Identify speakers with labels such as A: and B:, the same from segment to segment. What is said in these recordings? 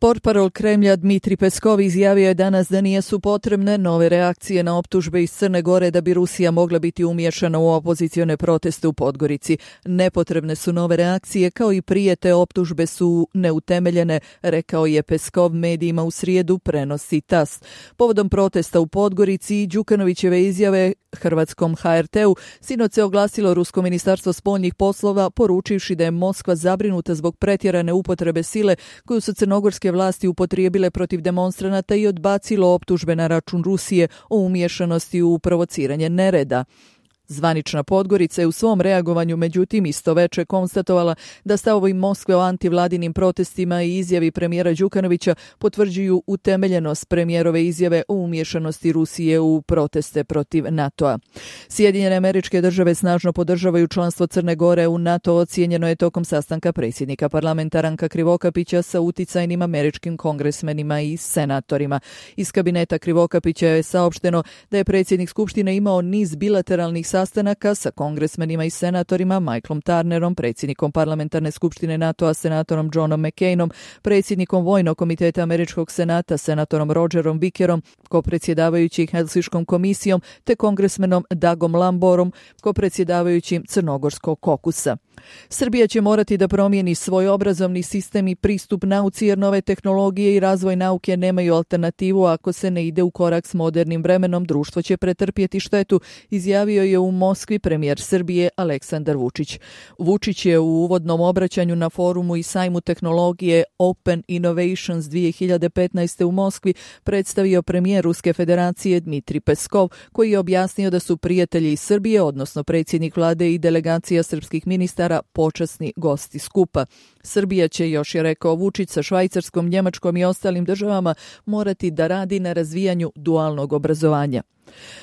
A: Portparol Kremlja Dmitri Peskov izjavio je danas da nisu potrebne nove reakcije na optužbe iz Crne Gore da bi Rusija mogla biti umiješana u opozicione proteste u Podgorici. Nepotrebne su nove reakcije, kao i prije, te optužbe su neutemeljene, rekao je Peskov medijima u srijedu, prenosi TASS. Povodom protesta u Podgorici i Đukanovićeve izjave hrvatskom HRT-u, sinoć se oglasilo Rusko ministarstvo spoljnih poslova, poručivši da je Moskva zabrinuta zbog pretjerane upotrebe sile koju su crnogorske vlasti upotrijebile protiv demonstranata i odbacilo optužbe na račun Rusije o umiješanosti u provociranje nereda. Zvanična Podgorica je u svom reagovanju međutim isto veče konstatovala da stavovi Moskve o antivladinim protestima i izjavi premijera Đukanovića potvrđuju utemeljenost premijerove izjave o umiješanosti Rusije u proteste protiv NATO-a. Sjedinjene Američke Države snažno podržavaju članstvo Crne Gore u NATO, ocijenjeno je tokom sastanka predsjednika parlamenta Ranka Krivokapića sa uticajnim američkim kongresmenima i senatorima. Iz kabineta Krivokapića je saopšteno da je predsjednik Skupštine imao niz bilateralnih sastanaka sa kongresmenima i senatorima Michaelom Turnerom, predsjednikom parlamentarne skupštine NATO-a, senatorom Johnom McCainom, predsjednikom Vojnog komiteta Američkog senata, senatorom Rogerom Vickerom, kopredsjedavajući Helsinškom komisijom, te kongresmenom Dagom Lamborom, kopredsjedavajućim Crnogorskog kokusa. Srbija će morati da promijeni svoj obrazovni sistem i pristup nauci, jer nove tehnologije i razvoj nauke nemaju alternativu. Ako se ne ide u korak s modernim vremenom, društvo će pretrpjeti štetu, izjavio je u Moskvi premijer Srbije Aleksandar Vučić. Vučić je u uvodnom obraćanju na forumu i sajmu tehnologije Open Innovations 2015. u Moskvi predstavio premijer Ruske federacije Dmitri Peskov, koji je objasnio da su prijatelji iz Srbije, odnosno predsjednik vlade i delegacija srpskih ministara, počasni gosti skupa. Srbija će, još je rekao Vučić, sa Švajcarskom, Njemačkom i ostalim državama morati da radi na razvijanju dualnog obrazovanja.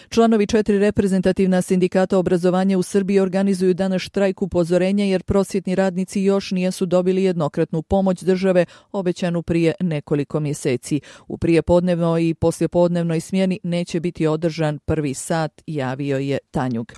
A: Članovi 4 reprezentativna sindikata obrazovanja u Srbiji organizuju danas štrajk upozorenja jer prosvjetni radnici još nisu dobili jednokratnu pomoć države obećanu prije nekoliko mjeseci. U prijepodnevnoj i poslijepodnevnoj smjeni neće biti održan prvi sat, javio je Tanjug.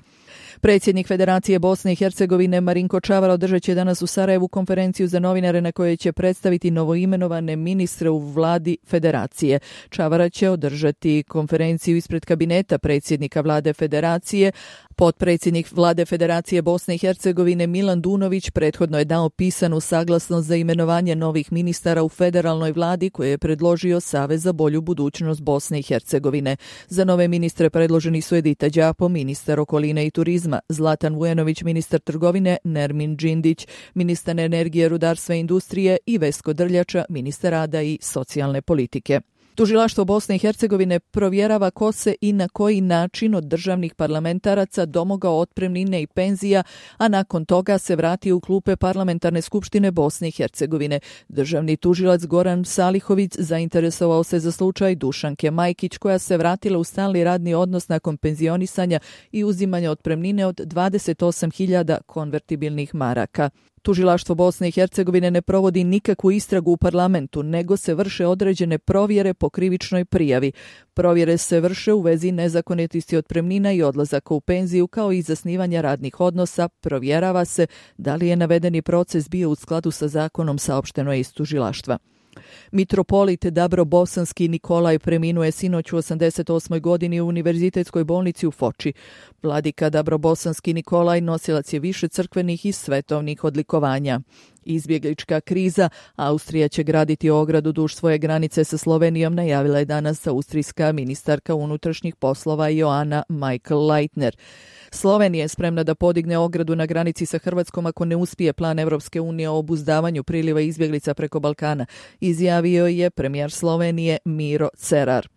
A: Predsjednik Federacije Bosne i Hercegovine Marinko Čavar održat će danas u Sarajevu konferenciju za novinare na kojoj će predstaviti novoimenovane ministre u vladi Federacije. Čavara će održati konferenciju ispred kabineta predsjednika vlade Federacije. Potpredsjednik vlade Federacije Bosne i Hercegovine Milan Dunović prethodno je dao pisanu saglasnost za imenovanje novih ministara u federalnoj vladi koje je predložio Savez za bolju budućnost Bosne i Hercegovine. Za nove ministre predloženi su Edita Đapo, ministar okoline i turizma, Zlatan Vujanović, ministar trgovine, Nermin Džindić, ministar energije, rudarstva i industrije i Vesko Drljača, ministar rada i socijalne politike. Tužilaštvo Bosne i Hercegovine provjerava ko se i na koji način od državnih parlamentaraca domogao otpremnine i penzija, a nakon toga se vratio u klupe Parlamentarne skupštine Bosne i Hercegovine. Državni tužilac Goran Salihović zainteresovao se za slučaj Dušanke Majkić, koja se vratila u stalni radni odnos nakon penzionisanja i uzimanja otpremnine od 28.000 konvertibilnih maraka. Tužilaštvo Bosne i Hercegovine ne provodi nikakvu istragu u parlamentu, nego se vrše određene provjere po krivičnoj prijavi. Provjere se vrše u vezi nezakonitosti otpremnina i odlazaka u penziju, kao i zasnivanja radnih odnosa. Provjerava se da li je navedeni proces bio u skladu sa zakonom, saopšteno je iz tužilaštva. Mitropolit Dabrobosanski Nikolaj preminuo je sinoć u 88. godini u Univerzitetskoj bolnici u Foči. Vladika Dabrobosanski Nikolaj nosilac je više crkvenih i svetovnih odlikovanja. Izbjeglička kriza. Austrija će graditi ogradu duž svoje granice sa Slovenijom, najavila je danas austrijska ministarka unutrašnjih poslova Joana Michael Leitner. Slovenija je spremna da podigne ogradu na granici sa Hrvatskom ako ne uspije plan Evropske unije o obuzdavanju priliva izbjeglica preko Balkana, izjavio je premijer Slovenije Miro Cerar.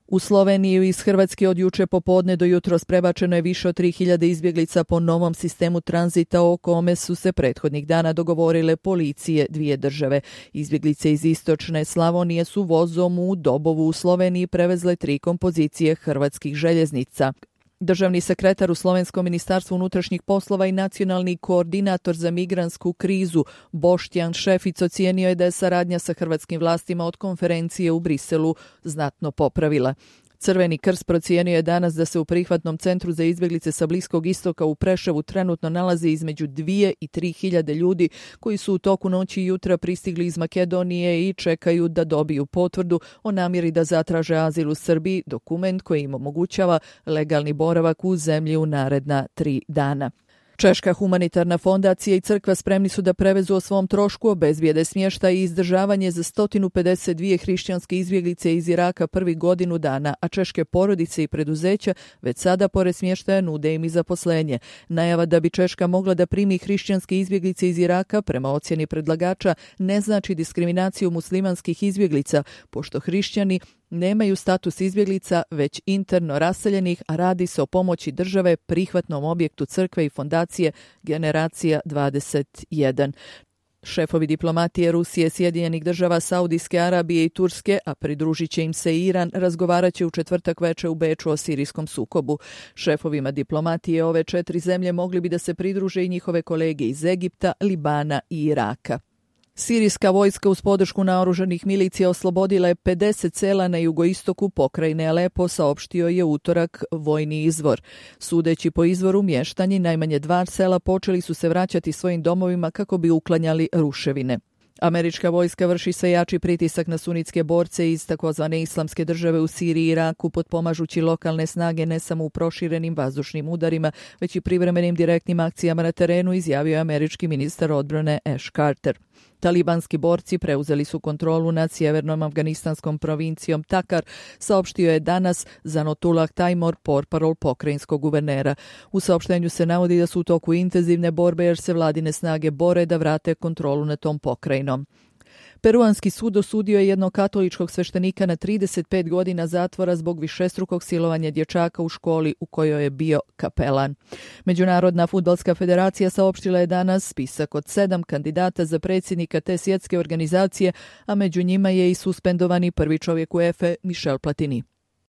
A: U Sloveniju iz Hrvatske od juče popodne do jutros prebačeno je više od 3.000 izbjeglica po novom sistemu tranzita o kome su se prethodnih dana dogovorile policije dvije države. Izbjeglice iz istočne Slavonije su vozom u Dobovu u Sloveniji prevezle 3 kompozicije hrvatskih željeznica. Državni sekretar u Slovenskom ministarstvu unutrašnjih poslova i nacionalni koordinator za migrantsku krizu Boštjan Šefic ocijenio je da je saradnja sa hrvatskim vlastima od konferencije u Briselu znatno popravila. Crveni krst procijenio je danas da se u prihvatnom centru za izbjeglice sa Bliskog istoka u Preševu trenutno nalazi između 2 i 3 hiljade ljudi koji su u toku noći i jutra pristigli iz Makedonije i čekaju da dobiju potvrdu o namjeri da zatraže azil u Srbiji, dokument koji im omogućava legalni boravak u zemlji u naredna 3 dana. Češka humanitarna fondacija i crkva spremni su da prevezu o svom trošku, obezbijede smještaj i izdržavanje za 152 hrišćanske izbjeglice iz Iraka prvih godinu dana, a češke porodice i preduzeća već sada pored smještaja nude im i zaposlenje. Najava da bi Češka mogla da primi hrišćanske izbjeglice iz Iraka, prema ocjeni predlagača, ne znači diskriminaciju muslimanskih izbjeglica, pošto hrišćani nemaju status izbjeglica, već interno raseljenih, a radi se o pomoći države prihvatnom objektu crkve i fondacije Generacija 21. Šefovi diplomatije Rusije, Sjedinjenih država, Saudijske Arabije i Turske, a pridružit će im se i Iran, razgovarat će u četvrtak veče u Beču o sirijskom sukobu. Šefovima diplomatije ove 4 zemlje mogli bi da se pridruže i njihove kolege iz Egipta, Libana i Iraka. Sirijska vojska uz podršku naoružanih milicija oslobodila je 50 sela na jugoistoku pokrajine Alepo, saopštio je utorak vojni izvor. Sudeći po izvoru, mještani najmanje 2 sela počeli su se vraćati svojim domovima kako bi uklanjali ruševine. Američka vojska vrši sve jači pritisak na sunitske borce iz takozvane islamske države u Siriji i Iraku, potpomažući lokalne snage ne samo u proširenim vazdušnim udarima, već i privremenim direktnim akcijama na terenu, izjavio je američki ministar odbrane Ash Carter. Talibanski borci preuzeli su kontrolu nad sjevernom afganistanskom provincijom Takar, saopštio je danas Zanotullah Taimur, portparol pokrajinskog guvernera. U saopštenju se navodi da su u toku intenzivne borbe jer se vladine snage bore da vrate kontrolu nad tom pokrajinom. Peruanski sud osudio je jednog katoličkog sveštenika na 35 godina zatvora zbog višestrukog silovanja dječaka u školi u kojoj je bio kapelan. Međunarodna fudbalska federacija saopštila je danas spisak od 7 kandidata za predsjednika te svjetske organizacije, a među njima je i suspendovani prvi čovjek UEFA Michel Platini.